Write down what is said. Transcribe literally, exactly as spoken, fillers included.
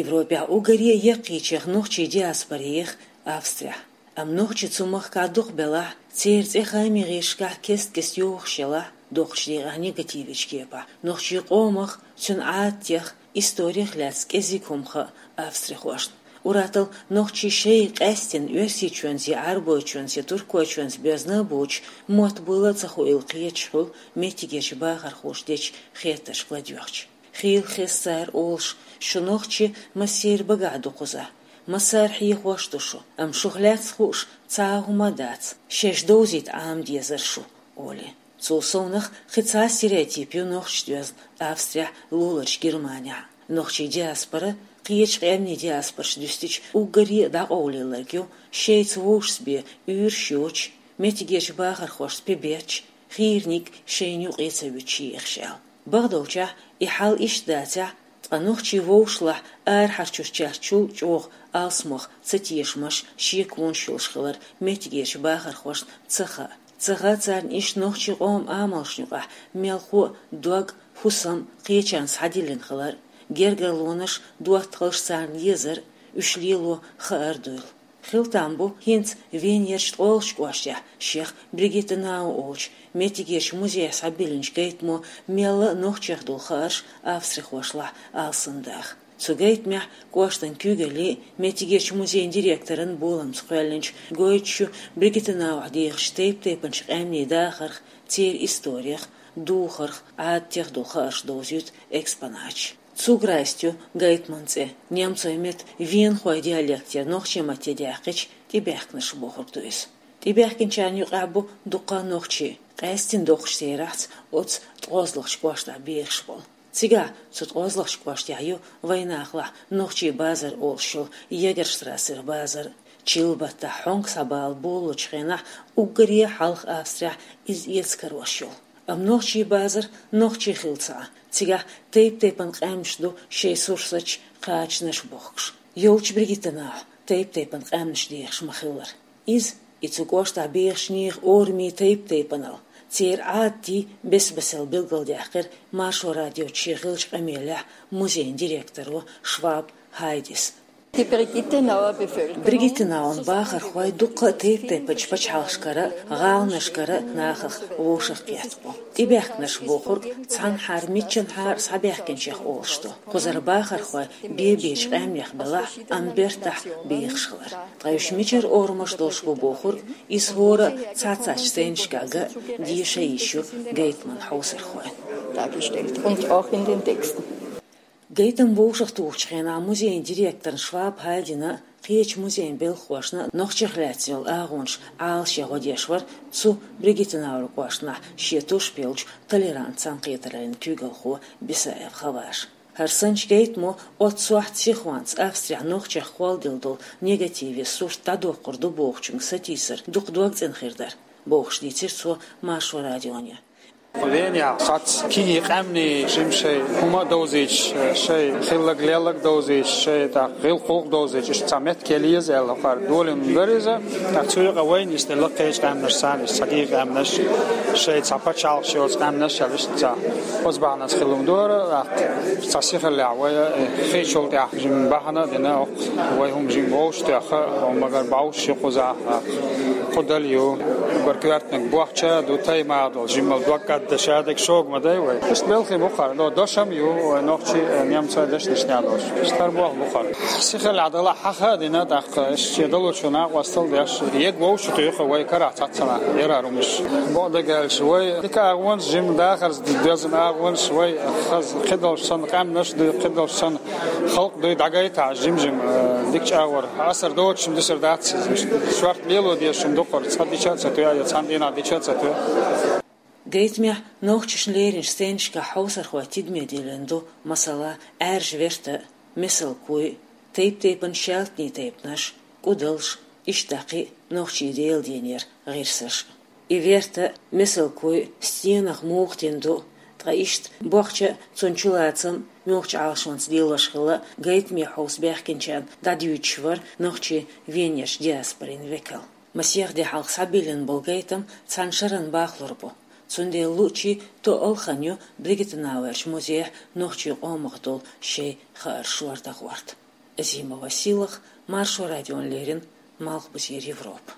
Европехь уггаре а яккхийчех нохчийн диаспора ех Австрехь. Амма нохчий цу махкахь дукха белахь, церан цӀе хаамийн гӀирсашкахь кест-кеста йохуш елахь, доккхачу декъехь негативечу кепахь, нохчийн къомах, цуьнан Ӏадатех, историх лаьцна кӀезиг хӀума хаьа австрихошна. Ур-атталла нохчий шайн къаьсттина Оьрсийчоьнца я Ӏарбойчоьнца я Туркойчоьнца боьзна а боцуш, мотт буьйла а ца хуийла кхеташ хуьлу меттигерчу бахархоша дечу хеттаршка ладоьгӀча. Хийла хеза цара олуш: «Шу нохчий массеран багахь ду кхузахь, массара хьехош а ду шу, амма шух лаьцна хууш цхьа а хӀума а дац, шаьш довзийта Ӏама дезара шу», — олий. Цул совнаха кхин цхьа а стереотип ю нохчашца доьзна Австрехь, луларчу Германехь. Нохчийн диаспора, кхечу къаьмнийн диаспораш дуьстича, уггаре а дӀакъовлаелларг ю шайца вовшашца бен уьйраш йоцуш, меттигерчу бахархошца пе бетташ, хийраниг шайна юкъе ца вуьтуш ехаш аьлла. Бакъдолчехь, и хьал иштта дацахь, ткъа нохчий вовшашлахь арахьарчуьрчаьрчул чӀогӀа алсамох цатешамаш, шеконаш йолуш хилар меттигерчу бахархошна ца хаьа. Ца хаьа царна иштта нохчийн къоман амалшна юкъахь мелхо а, дог а, хӀусам а кхечарна схьадиллина хилар, гергарлонаш, доттагӀалш царна езар, уьш лело хаар дуйла. Хила там бу хӀинца Венерчу ткъолгӀачу кӀоштехь шех Бригиттенау олучу меттигерчу музейхь схьабиллинчу гайтамо мелла а нохчех долу хаарш австрихошлахь алсамдаха. Цу гайтамехь кӀоштан куьйгаллин а, меттигерчу музейн директоран боламца кхоьллинчу гойтуш ю Бригиттенаухь дехачу тайп-тайпанчу къаьмнийн дахарх, церан историх, духарх, Ӏадатех долу хаарш довзуьйту экспонаташ. Цуграйст ю гайтаман цӀе. Немцойн меттан венахойн диалектера нохчийн матте даьккхича, тӀебаьхкинарш бохург ду иза. ТӀебаьхкинчарна юкъахь бу дуккха а нохчий, къаьсттина доккхачу терахьца оцу ткъозлагӀчу кӀоштахь бехаш болу. Цигахь, цу ткъозлагӀчу кӀоштехь ю вайнахалахь нохчийн базар олуш йолу Егерштрассеран базар, чиллан баттахь хьонка схьабала болалучу хенахь уггаре а хьалха Австрехь иза эца карош йолу. Амма нохчийн базар нохчийн хилла ца Ӏа, цигахь тайп-тайпана къаьмнаш ду шайн сурсаташ, кхачанаш бохкуш. Йолчу Бригиттенаухь тайп-тайпана къаьмнаш дехаш ма-хиллара. Иза, и цу кӀоштахь бехачу нехан орамий тайп-тайпанал, церан Ӏадатий бес-бесел билгалдаьккхира Маршо радиоца шен хиллачу къамелехь музейн директоро Шваб Хайдис. Die Brigittenauer Bevölkerung. Бригиттенаун бахархой дуккха а тайп-тайпанчу пачхьалкхашкара а, гӀаланашкара а нахах вовшахкхетта бу. ТӀебаьхкинарш бохург цхьанхьара миччанхьара схьабаьхкинчех олуш ду. Кхузара бахархой бен-бечу къаьмнех белахь, амма бертахь бехаш хилар. Ткъа уьш мичара орамаш долуш бу бохург, иза хӀора а цхьацца сценашкахь ган а, деша а йиш ю гайтаман хьовсархойн. Dargestellt und auch in den Texten. Гайтам вовшахтухучу хенахь музейн директорна Шваб Хайдина а, кхечу музейн белхахошна а нохчех лаьцна йолу агӀонаш Ӏалашъян гӀо деш вара цу Бригиттенауэр кӀоштахь шен тушпелчу толерант цхьаьнакхетараллин куьйгалхо Бисаев Хаваж. ХӀара санначу гайтамо оццу сохьта сихонца Австрехь нохчех кхолладелла долу негативе сурт дӀадоккхур ду бохучуьнга сатийсар дукха дог цӀена хир дара, бохуш дийцира цо Маршо радионе. Венехь цхьацца кегий къаьмнийн жимма шайн хӀума а довзуьйтуш, шайн хилларг-лелларг а довзуьйтуш, шайн тӀаккха гӀиллакх-гӀуллакх а довзуьйтуш, иштта цхьа меттиг елла еза аьлла, хӀокхара долийна дара иза. ТӀаккха цу юкъа вайна иштта делла кхечу къаьмнаш санна, иштта цхьа кегий къаьмнаш, шайн цхьа пачхьалкхаш йоцу къаьмнаш аьлла, иштта цхьа оцу бахьанца хилла хӀума дара, тӀаккха цхьа сихаллехь вай, э, хийцачул тӀаьхьа жимма бахьана а дина, хӀокху вай хӀума жимма вовшахтоьхна, хӀума магар бовш ю кхузахь, кху дала ю, уггар коьртаниг бохча а ду, тайпана долу жимма дог кӀаддаш а дерг шога ма дай вай. Иштта белхий бу хӀара, но дошам а ю вай нохчий, э, немцойн дешнашкахь долуш. Иштта хӀара болх бу хӀара. Сихаллехь далахь хьаха а дина, тӀаккха иштта шен далучу накъостал а деш, ега вовшахтоьхна вай карахь цхьаццанхьа, яра хӀара хӀуманаш. Бакъдерг аьлча, вай дика агӀонаш, жимма дахарца доьзна агӀонаш, вай хаза кхидолуш санна къаьмнаш а дуй, кхидолуш санна халкъ а дуй дӀагайтахь, жим-жима, э, дика чӀагӀо, асар доцуш-м дисар дац иза. Шорта лело дезаш хӀума ду хӀара, цхьа дича а ца тоьа, я цхьана дийнахь дича а ца тоьа. Гайтамехь нохчашна леринчу сценашкахь хьовсархой тидаме диллина ду, масала, Ӏаьржа Верта а, Месалкуй а, тайп-тайпана шаьлтанийн тайпанаш, кӀудалш, иштта кхин а нохчийн Делан дийнера гӀирсаш. И Верта а, Месалкуй а стенах муха тина ду, ткъа иштта бохча а, цунна чулацам а муьлххачу Ӏалашонца лелош хилла гайтаме хьовса баьхкинчарна дӀадуьйцуш вара нохчийн Венерчу диаспорин векал. Масех де хьалха схьабиллина болу гайтам цхьана шарна бахлур бу. Цундела луучи тоъал хан ю Бригитанауерчу музейхь нохчийн къомах долу шайн хаарш лардаккхарт. Азима Василах, Маршо радион лерина, Малхбузера Европа.